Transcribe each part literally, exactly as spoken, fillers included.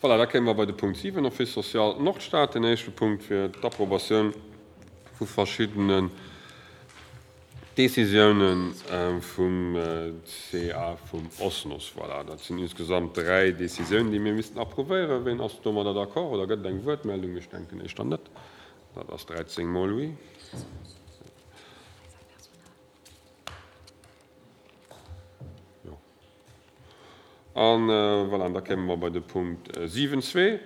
Voilà, da kéime mer bei de Punkt siwen, Office social Nordstad. Den éischte Punkt wier d'Approbatioun vu verschiddenen Décisiounen vum C A vum OSNOS. Voilà, dat sinn insgesamt dräi Décisiounen, déi mir missten approuvéieren. Ween ass domadder d'accord oder gëtt et eng Wuertmeldung? Ech denken éischter net. Dat ass dräizéng mol oui. Jo. An voilà, an da kéime mer bei de Punkt siwen zwee,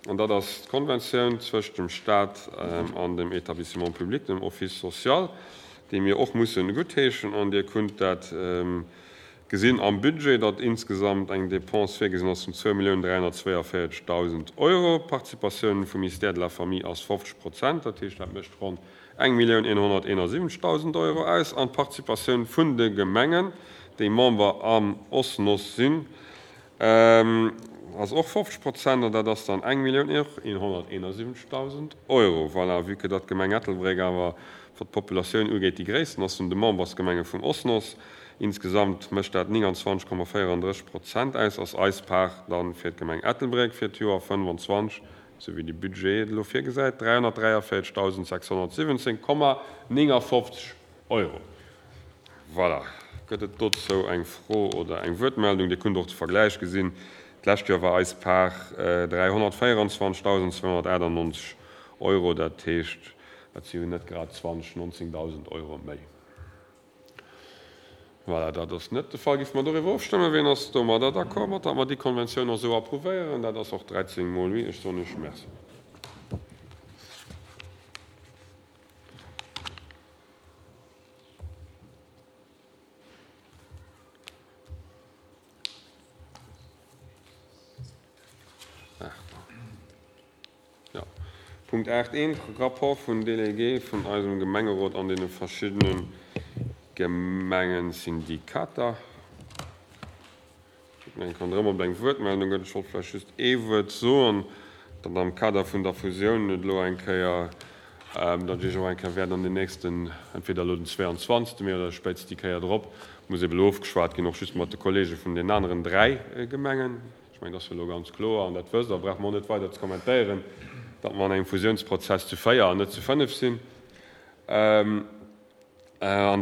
an dat ass d'Konventioun zwëscht dem Stat an dem Établissement public, dem Office social, déi mir och mussen guttheeschen. An Dir kunnt dat gesinn am Budget, datt insgesamt eng Dépense virgesinn ass vun zwou Milliounen dräihonnertzwéiavéierzegdausend Euro. D'Participatioun vum Ministère de la Famille ass fofzeg Prozent, dat heescht, dat mécht ronn eng Millioun eenhonnerteenasiwwenzegdausend Euro aus. An d'Participatioun vun de Gemengen, déi Member am OSNOS sinn, ass och fofzeg Prozent, an dat ass dann eng Millioun eenhonnerteenasiwwenzegdausend Euro. Voilà, vue que datt d'Gemeng Ettelbréck awer, wat d'Populatioun ugeet, déi gréissten ass vun de Membersgemenge vum OSNOS, insgesamt mécht dat nénganzwanzeg Komma véierandrësseg Prozent aus, ass eis Part dann fir d'Gemeng Ettelbréck fir d'Joer fënnwanzwanzeg, esou wéi de Budget et elo virgesäit, dräihonnertdräiavéierzegdausendsechshonnertsiwwenzéng Komma néngafofzeg Euro. Voilà. Gëtt et dozou eng Fro oder eng Wuertmeldung? Dir kunnt och de Vergläich gesinn. D'lescht Joer war eis Part dräihonnertvéierundzwanzegdausendzweihonnertachtannonzeg Euro. Dat heescht, dat si jo net grad zwanzeg, nonzéngdausend Euro méi. Voilà, dat ass net de Fall. Géife mer doriwwer ofstëmmen? Wien ass domadder d'accord, mat datt mer déi Konventioun och esou approuvéieren? Dat ass och dräizéng mol oui. Ech soen Iech Merci. Punkt aacht eent, Rapport vun Délégué vun eisem Gemengerot an deene verschiddene Gemengensyndikater. Ech mengen, kann erëm op eng Wuertmeldung gëtt. Ech wollt vläicht just ee Wuert soen, datt am Kader vun der Fusioun et elo eng Kéier, datt ech och eng Kéier wäert an den nächsten, entweder elo den zwéianzwanzegste Mee oder spéitstens déi Kéier drop, muss ebe elo ofgeschwat ginn, och just mat de Kollege vun den aneren dräi Gemengen. Ech mengen, dat ass jo elo ganz kloer, an dat wësst Der, brauche mer och net weider ze kommentéieren, datt mer an engem Fusiounsprozess zu véier an net zu fënnef sinn. An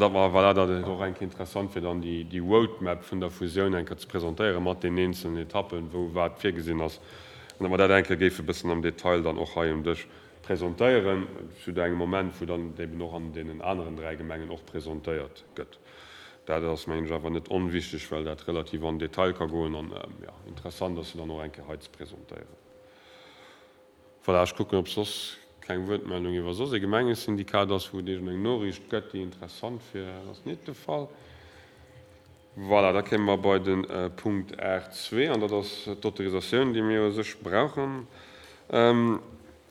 datt mer, voilà, datt et och eng Kéier interessant wier, dann déi Roadmap vun der Fusioun eng Kéier ze presentéieren, mat den eenzelnen Etappen, wou wat virgesinn ass, an datt mer dat eng Kéier géife bëssen am Detail dann och hei um Dësch presentéieren, zu engem Moment, wou dann eben och an deenen aneren dräi Gemengen och presentéiert gëtt. Dat ass, mengen ech, awer net onwichtig, well dat relativ an Detail ka goen an, jo, interessant ass, se dann och eng Kéier hei ze presentéieren. Voilà, ech kucken, ob soss keng Wuertmeldung iwwer soss ee Gemengesyndikat ass, wou et iergendeng Noriicht gëtt, déi interessant wier. Dat ass net de Fall. Voilà, da kéime mer bei de Punkt aacht zwee, an dat ass d'Autorisatioun, déi mir u sech brauchen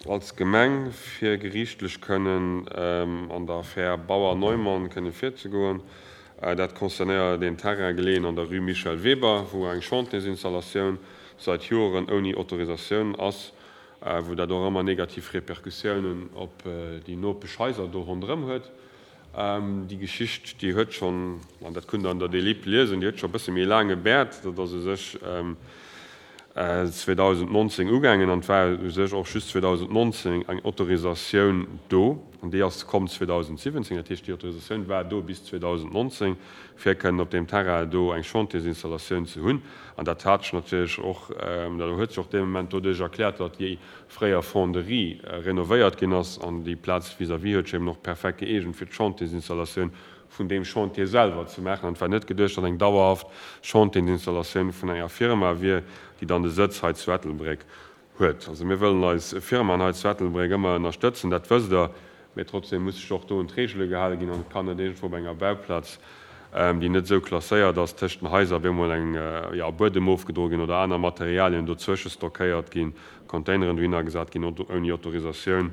als Gemeng, fir geriichtlech kënnen an der Affär Bauer-Neumann kënne virzegoen. Dat concernéiert een Terrain geleeën an der Rue Michel Weber, wou eng Chantiersinstallatioun seit Joren ouni Autorisatioun ass, wou dat och ëmmer negativ Repercussiounen op déi Nopeschhaiser do ronderëm huet. Déi Geschicht, déi huet schonn, an dat kunnt Der an der Delib liesen, déi huet scho e bësse méi laang e Bäert. Dat ass u sech zweedausendnonzéng ugaangen an et war u sech och just zweedausendnonzéng eng Autorisatioun do an déi ass komm zweedausendsiwwenzéng. Dat heescht, déi Autorisatioun war do bis zweedausendnonzéng, fir kënnen op deem Terrain do eng Chantiersinstallatioun ze hunn. An dat hat sech natierlech och, dat huet sech och dee Moment doduerch erkläert, datt déi fréier Fonderie renovéiert ginn ass an déi Plaz vis-à-vis huet sech eben och perfekt gëeegent fir d'Chantiersinstallatioun vun deem Chantier selwer ze maachen. An et war net geduecht, datt eng dauerhaft Chantiersinstallatioun vun enger Firma wier, déi dann de Sëtz hei zu Ettelbréck huet. Also mir wëllen eis Firmaen hei zu Ettelbréck ëmmer ënnerstëtzen, dat wësst Der, mee trotzdem muss sech och do un d'Regele gehale ginn an et kann net iergendwou op enger Bauplaz, déi net esou klasséiert ass, tëscht den Haiser op eemol eng, jo, Buedem ofgedroe ginn oder aner Materialien dozwësche stockéiert ginn, Containeren dohinner gesat ginn ouni Autorisatioun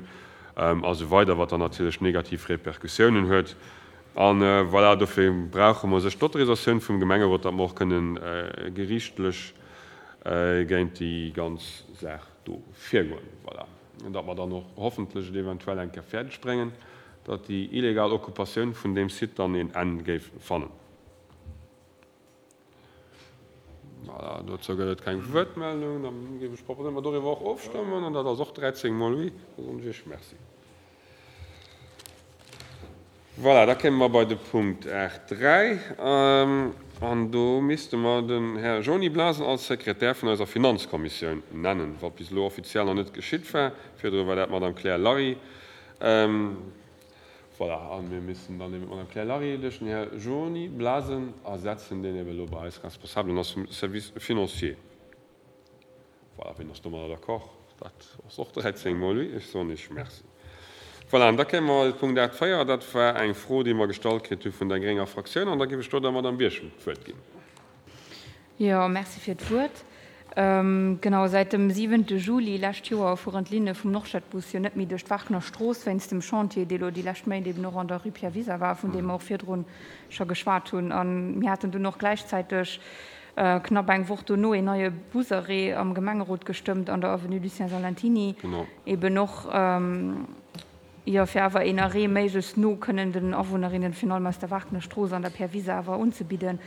a sou weider, wat dann natierlech negativ Repercussiounen huet. An voilà, dofir brauche mer sech d'Autorisatioun vum Gemengerot, datt mer och kënnen geriichtlech géint déi ganz Saach do virgoen. Voilà. An datt mer dann och hoffentlech et eventuell eng Kéier fäerdeg bréngen, datt déi illegal Occupatioun vun deem Site dann een Enn géif fannen. Voilà, dozou gëtt et keng Wuertmeldung. Da géif ech proposéieren, mer doriwwer och ofstëmmen. An dat ass och dräizéng mol oui. Da soen ech Iech Merci. Voilà, da kéime mer bei de Punkt aacht dräi. An do misste mer den Här Jony Blasen als Sekretär vun eiser Finanzkommissioun nennen, wat bis elo offiziell nach net geschitt war. Virdru war dat d'Madame Claire Larry. Voilà, a mir missten dann eben d'Madame Claire Larry duerch den Här Jony Blasen ersetzen, deen eben elo bei eis Responsabelen ass vum Service financier. Voilà, wien ass domadder d'accord? Dat ass och dräizéng mol oui. Ech soen Iech Merci. Voilà, an da kéime mer bei Punkt aacht véier. Dat war eng Fro, déi mer gestallt kritt hu vun der grénger Fraktioun. An da géif ech do der Madame Birchen d'Wuert ginn. Jo, merci fir d'Wuert. Genau, säit dem siwente Juli lescht Joer fueren d'Linne vum Nordstadbus jo net méi duerch d'Warkener Strooss wéinst dem Chantier, dee lo déi lescht Méint eben och an der Rue Pierre Wiser war, vun deem mer och virdrun scho geschwat hunn. A mir haten dunn och gläichzäiteg knapp eng Woch dono een neie Busarrêt am Gemengerot gestëmmt an der Avenue Lucien Salentiny, eben och, jo, fir awer een Arrêt méiglechst no kënnen den Awunnerinnen, virun allem aus der Warkener Strooss an der Pierre Wiser, awer unzebidden.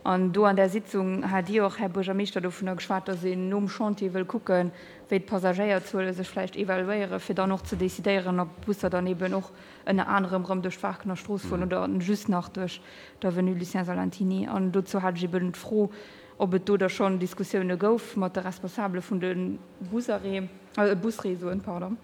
An do an där Sitzung hat Dir och, Här Buergermeeschter, dovunner geschwat, dass een nom Chantier wëll kucken, wéi d'Passagéierzuele sech vläicht evaluéieren, fir dann och ze decidéieren, ob d'Busser dann eben och ënner anerem erëm duerch d'Warkener Strooss fueren oder just nach duerch d'Avenue Lucien Salentiny. An dozou hat ech eben d'Fro, ob et do da schonn Diskussioune gouf mat de Responsabele vun de Busarrêt, Busréseauen, pardon,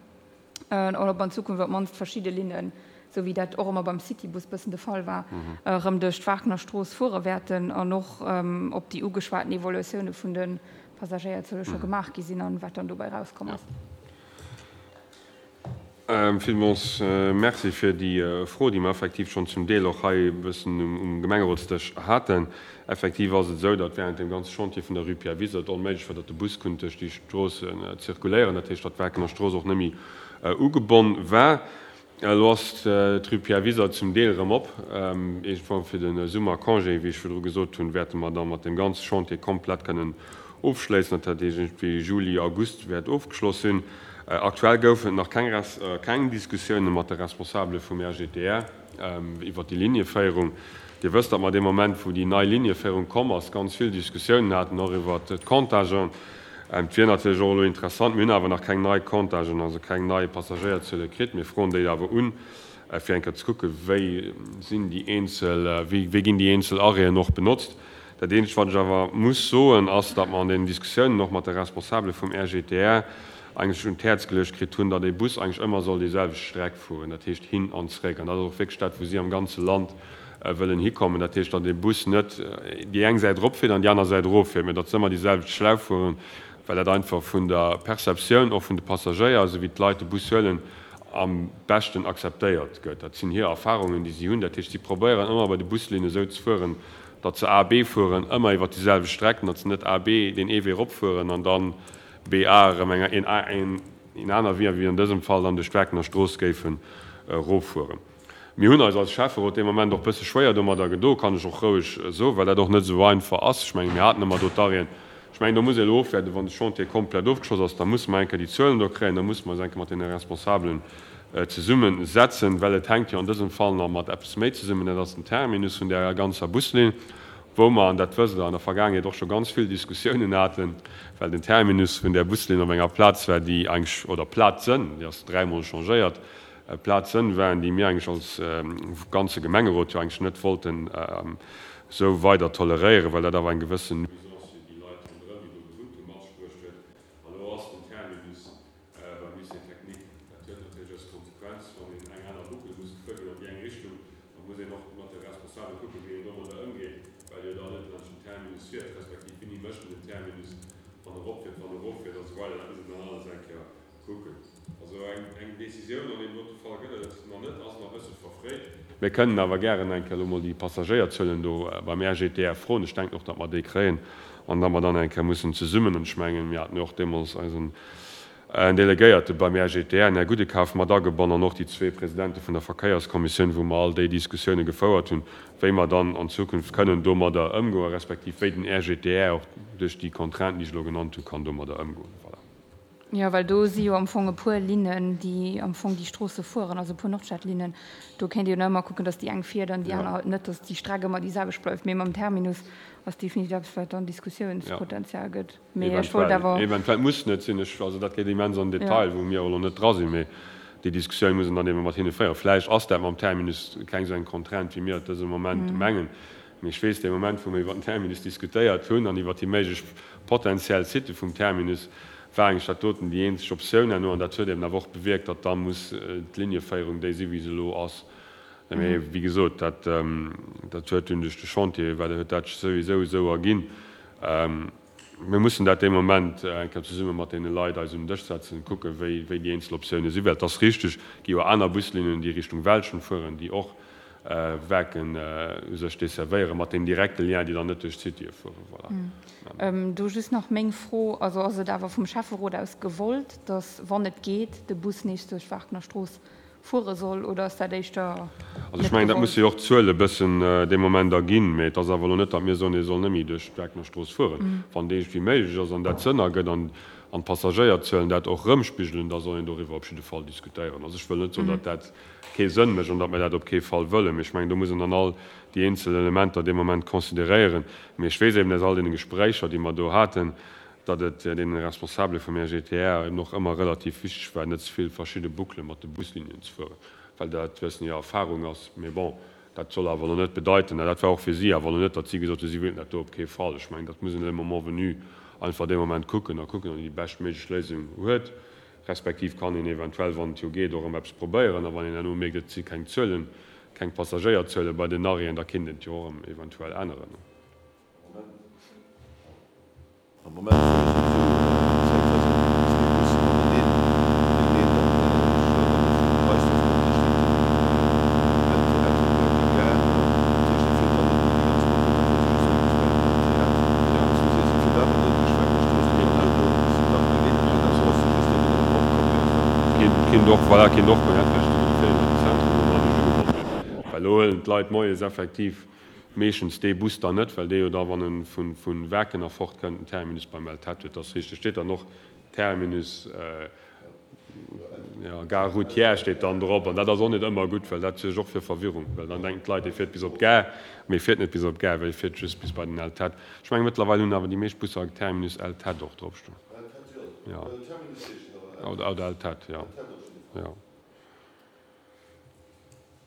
an ob an Zukunft op d'mannst verschidde Linnen, esou wéi dat och ëmmer beim Citybus bëssen de Fall war, erëm duerch d'Warkener Strooss fuere wäerten an och ob déi ugeschwaten Evaluatioune vun de Passagéierzuele scho gemaach gi sinn an wat dann dobäi erauskomm ass. Villmools Merci fir déi Fro, déi mer effektiv schonn zum Deel och hei e bëssen um Gemengerotsdësch haten. Effektiv ass et esou, datt während deem ganze Chantier vun der Rue Pierre Wiser et onméiglech war, datt de Bus konnt duerch déi Strooss zirkuléieren, dat heescht, datt d'Warkener Strooss och net méi ugebonn war. Elo ass d'Rue Pierre Wiser zum Deel erëm op. Iergendwann fir de Summercongé, wéi ech virdru gesot hunn, wäerte mer da mat deem ganze Chantier komplett kënnen ofschléissen. Dat heescht, iergendwéi Juli, August wäert ofgeschloss sinn. Aktuell goufen et nach keng keng Diskussioune mat de Responsabele vum R G T R iwwer déi Linieféierung. Dir wësst, datt mer dee Moment, wou déi nei Linieféierung komm ass, ganz vill Diskussiounen haten, och iwwer d'Comptagen. Et wier natierlech och elo interessant, mir hunn awer nach keng nei Comptagen, also keng nei Passagéierzuele kritt. Mir froen déi awer un, fir eng Kéier ze kucken, wéi sinn déi eenzel, wéi wéi ginn déi eenzel Arrêten och benotzt. Dat Eenzegt, wat ech awer muss soen, ass, datt mer an deenen Diskussiounen och mat de Responsabele vum R G T R eigentlech un d'Häerz geluecht kritt hunn, datt ee Bus eigentlech ëmmer soll déi selwecht Streck fueren, dat heescht hin an zréck. An dat ass och wierklech dat, wou si am ganze Land wëllen hikommen. Dat heescht, datt ee Bus net déi eng Säit eropfiert an déi aner Säit eroffiert, mä datt se ëmmer déi selwecht Schlauf fueren, well dat einfach vun der Perceptioun och vun de Passagéier, esou wéi d'Leit de Bus huelen, am beschten akzeptéiert gëtt. Dat sinn hir Erfarungen, déi si hunn. Dat heescht, si probéieren ëmmer bei de Buslinne esou ze fueren, datt se A, B fueren, ëmmer iwwer déi selwecht Streck, datt se net A, B deen ee Wee eropfueren an dann B, A erëm eng een een aner Wee, wéi an dësem Fall dann duerch d'Werkener Strooss géifen eroffueren. Mir hunn eis als Schäfferot dee Moment och bësse schwéier domadder gedo, kann ech och roueg soen, well dat och net esou einfach ass. Ech mengen, mir haten ëmmer do d'Arrêten. Ech mengen, do muss ee elo ofwaarden, wann de Chantier komplett ofgeschloss ass, da musse mer eng Kéier déi Zuelen do kréien, da musse mer eis eng Kéier mat deene Responsabelen zesummesetzen, well et hänkt jo an dësem Fall nach mat eppes méi zesummen, dat ass den Terminus vun där ganzer Buslinn, wou mer, an dat wësst Der, an der Vergaangenheet och scho ganz vill Diskussiounen haten, well den Terminus vun där Buslinn op enger Plaz war, déi eigentlech, oder Plazen, déi ass dräimol changéiert, Plazen waren, déi mir eigentlech als ganze Gemengerot jo eigentlech net wollten esou weider toleréieren, well dat awer eng gewëssen Nuisance fir déi Leit ronderëm, déi do gewunnt hunn, mat sech bruecht huet. An elo ass den Terminus beim Lycée technique. Dat huet natierlech als Konsequenz, wann een eng aner Boucle muss gefuer ginn an déi eng Richtung, da muss een och mat de Responsabele kucken, wéi een domadder ëmgeet, well jo dann net laanscht den Terminus fiert, respektiv wéini mécht en den Terminus, wann e eropfiert, wann e eroffiert a sou weider. Dat muss een dann alles eng Kéier kucken. Also eng eng Décisioun an deem dote Fall gëtt et nach net, ass nach e bësse verfréit. Mir kënnen awer gären eng Kéier elo mol déi Passagéierzuelen do beim R G T R froen. Ech denken och, datt mer déi kréien an datt mer dann eng Kéier mussen zesummen, an ech mengen, mir haten jo och deemools eisen Delegéierte beim R G T R, den Här Gudekaf, mat agebonn an och déi zwee Presidente vun der Verkéierskommissioun, wou mer all déi Diskussioune gefouert hunn, wéi mer dann an Zukunft kënnen domadder ëmgoen, respektiv wéi den R G T R och duerch déi Contrainten, déi ech elo genannt hunn, kann domadder ëmgoen. Voilà. Jo, well do si jo am Fong e puer Linnen, déi am Fong déi Stroosse fueren, also e puer Nordstadlinnen. Do kéint ee jo nach ëmmer kucken, datt déi eng fiert an déi aner halt net, datt déi Streck ëmmer déi selwecht bleift. Mee mam Terminus ass definitiv eppes, wat dann Diskussiounspotenzial gëtt. Mee ech wollt awer. Eventuell, muss net sinn. Ech, also dat geet immens an den Detail, wou mir och elo net dra sinn. Mee déi Diskussioun muss een dann ebe mat hinne féieren. Vläicht ass dat mam Terminus keng esou eng Contrainte, wéi mir et dëse Moment mengen. Mee ech weess, dee Moment, wou mir iwwer den Terminus diskutéiert hunn an iwwer déi méiglech potenziell Sitë vum Terminus, war eigentlech dat doten déi eenzeg Optioun herno. An dat huet eben awer och bewierkt, datt da muss d'Linieféierung déi si wéi se elo ass. Mee wéi gesot, dat, dat huet dunn duerch de Chantier, well huet dat sech souwisou esou erginn. Mir mussen dat dee Moment eng Kéier zesumme mat deene Leit eis un den Dësch setzen, kucken, wéi, wéi déi eenzel Optiounen sinn. Well et ass richteg, et gi jo aner Buslinnen, déi Richtung Welschent fueren, déi och Werken u sech desservéieren, mat deem direkte Lien, déi dann net duerch d'Citye fueren. Voilà. Do just nach meng Fro, also ass et awer vum Schäfferot aus gewollt, dass, wann et geet, de Bus nees duerch d'Waarkener Strooss fuere soll, oder ass dat éischter Also ech net mengen, dat gewollt? musse jo och d'Zuele e bëssen dee Moment erginn. Mee et ass awer elo net, datt mir soen, e soll net méi duerch d'Waarkener Strooss fueren. Wann et iergendwéi méiglech ass an dat Sënn ergëtt an an d'Passagéierzuelen dat och erëmspigelen, da soll een doriwwer op jidde Fall diskutéieren. Also ech wëll net soen, datt dat kee Sënn mécht an datt mir dat op kee Fall wëllen, mee ech mengen, do muss een dann all déi eenzel Elementer dee Moment consideréieren. Mee ech weess eben aus all deene Gespréicher, déi mer do haten, datt et deene Responsabele vum R G T R eben och ëmmer relativ wichteg war, net ze vill verschidde Bouclë mat de Buslinien ze fueren, well dat wëssen hir Erfahrung ass. Mee bon, dat soll awer elo net bedeiten, an dat war och fir si awer elo net, datt si gesot hunn, si wéilten dat do op kee Fall. Ech mengen, dat muss een le moment venu einfach dee Moment kucken a kucken, ob een déi beschtméiglech Léisung huet, respektiv kann een eventuell, wann et jo geet, och erëm eppes probéieren. A wann een herno mierkt, et si keng Zuelen, keng Passagéierzuele bei den Arrêten, da kéint een et jo och erëm eventuell änneren. Am Moment fuere souwisou zäitweis net méi déi zwee Bussen aneneen. Deen een dann scho dann vun Reisduerf kommt, dee steet um El Terrat op der Gare. Dat heescht, dee fiert dann net méi déi ganz Boucle, da fiert e just nach bis bei den El Terrat. Wéi s du sees, e fiert awer net duerch d'Wagnerstrooss, mee dann duerno bis d'Wagner Linn. Mee dann ass e just eben erëm opkomm iergendwann. Kéint, kéint och, voilà, kéint och goen, dat wär déi féieren an den Zentrum, wou mer nicht ugebonne sinn. Well elo huelen d'Leit moies effektiv meeschtens dee Bus dann net, well dee jo da, wann e vu, vu Werken erfort kënnt, den Terminus beim El Tet huet. Dat ass richteg. Steet dann och Terminus, jo, Gare routière steet dann drop. An dat ass och net ëmmer gutt, well dat suergt och fir Verwirrung, well dann denken d'Leit, dee fiert bis op d'Gare, mee e fiert net bis op d'Gare, well e fiert just bis bei den El Tet. Ech menge mëttlerweil hunn awer déi meescht Busser Terminus El Tet och dropstoen. Jo, oder, oder El Tet, jo. Jo.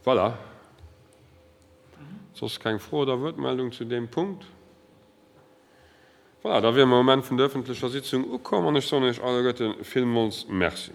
Voilà. Soss keng Fro oder Wuertmeldung zu deem Punkt? Voilà, da wiere mer um Enn vun der öffentlecher Sitzung ukomm an ech soen Iech alleguerte villmools Merci.